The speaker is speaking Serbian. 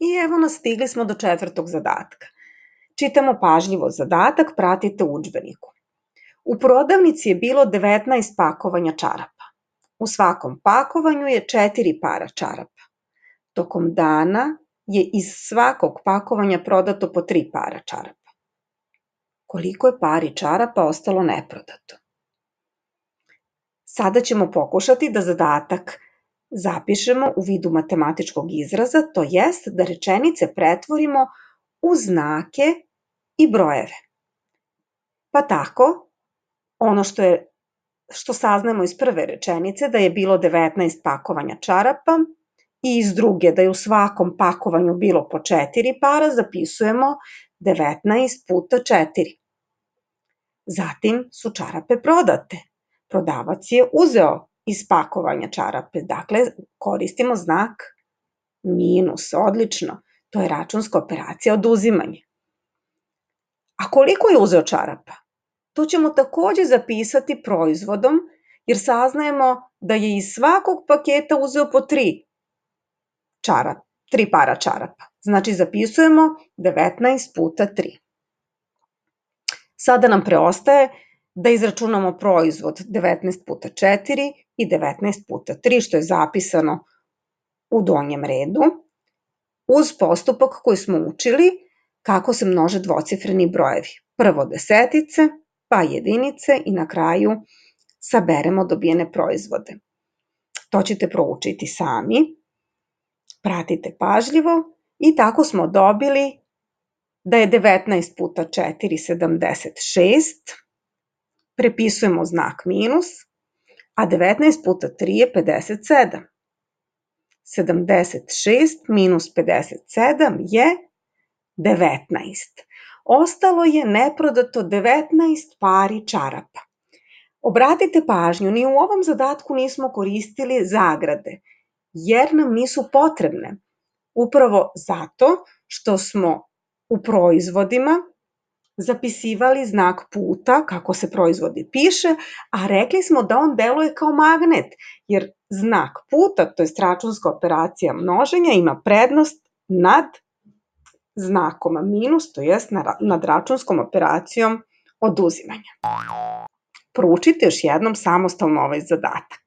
I evo nas, stigli smo do 4. zadatka. Čitamo pažljivo zadatak, pratite u udžbeniku. U prodavnici je bilo 19 pakovanja čarapa. U svakom pakovanju je 4 para čarapa. Tokom dana je iz svakog pakovanja prodato po 3 para čarapa. Koliko je pari čarapa ostalo neprodato? Sada ćemo pokušati da zadatak zapišemo u vidu matematičkog izraza, to jest da rečenice pretvorimo u znake i brojeve. Pa tako, ono što saznamo iz prve rečenice da je bilo 19 pakovanja čarapa i iz druge da je u svakom pakovanju bilo po 4 para, zapisujemo 19 puta 4. Zatim su čarape prodate. Prodavac je uzeo iz pakovanja čarape, dakle koristimo znak minus, odlično, to je računska operacija oduzimanja. A koliko je uzeo čarapa? To ćemo takođe zapisati proizvodom, jer saznajemo da je iz svakog paketa uzeo po 3 para čarapa. Znači zapisujemo 19 puta 3. Sada nam preostaje da izračunamo proizvod 19 puta 4 i 19 puta 3, što je zapisano u donjem redu, uz postupak koji smo učili kako se množe dvocifreni brojevi. Prvo desetice, pa jedinice i na kraju saberemo dobijene proizvode. To ćete proučiti sami, pratite pažljivo i tako smo dobili da je 19 puta 4 76, prepisujemo znak minus, a 19 puta 3 je 57. 76 minus 57 je 19. Ostalo je neprodato 19 pari čarapa. Obratite pažnju, ni u ovom zadatku nismo koristili zagrade, jer nam nisu potrebne. Upravo zato što smo u proizvodima zapisivali znak puta, kako se proizvodi piše, a rekli smo da on deluje kao magnet, jer znak puta, to je računska operacija množenja, ima prednost nad znakom minus, to jest nad računskom operacijom oduzimanja. Proučite još jednom samostalno ovaj zadatak.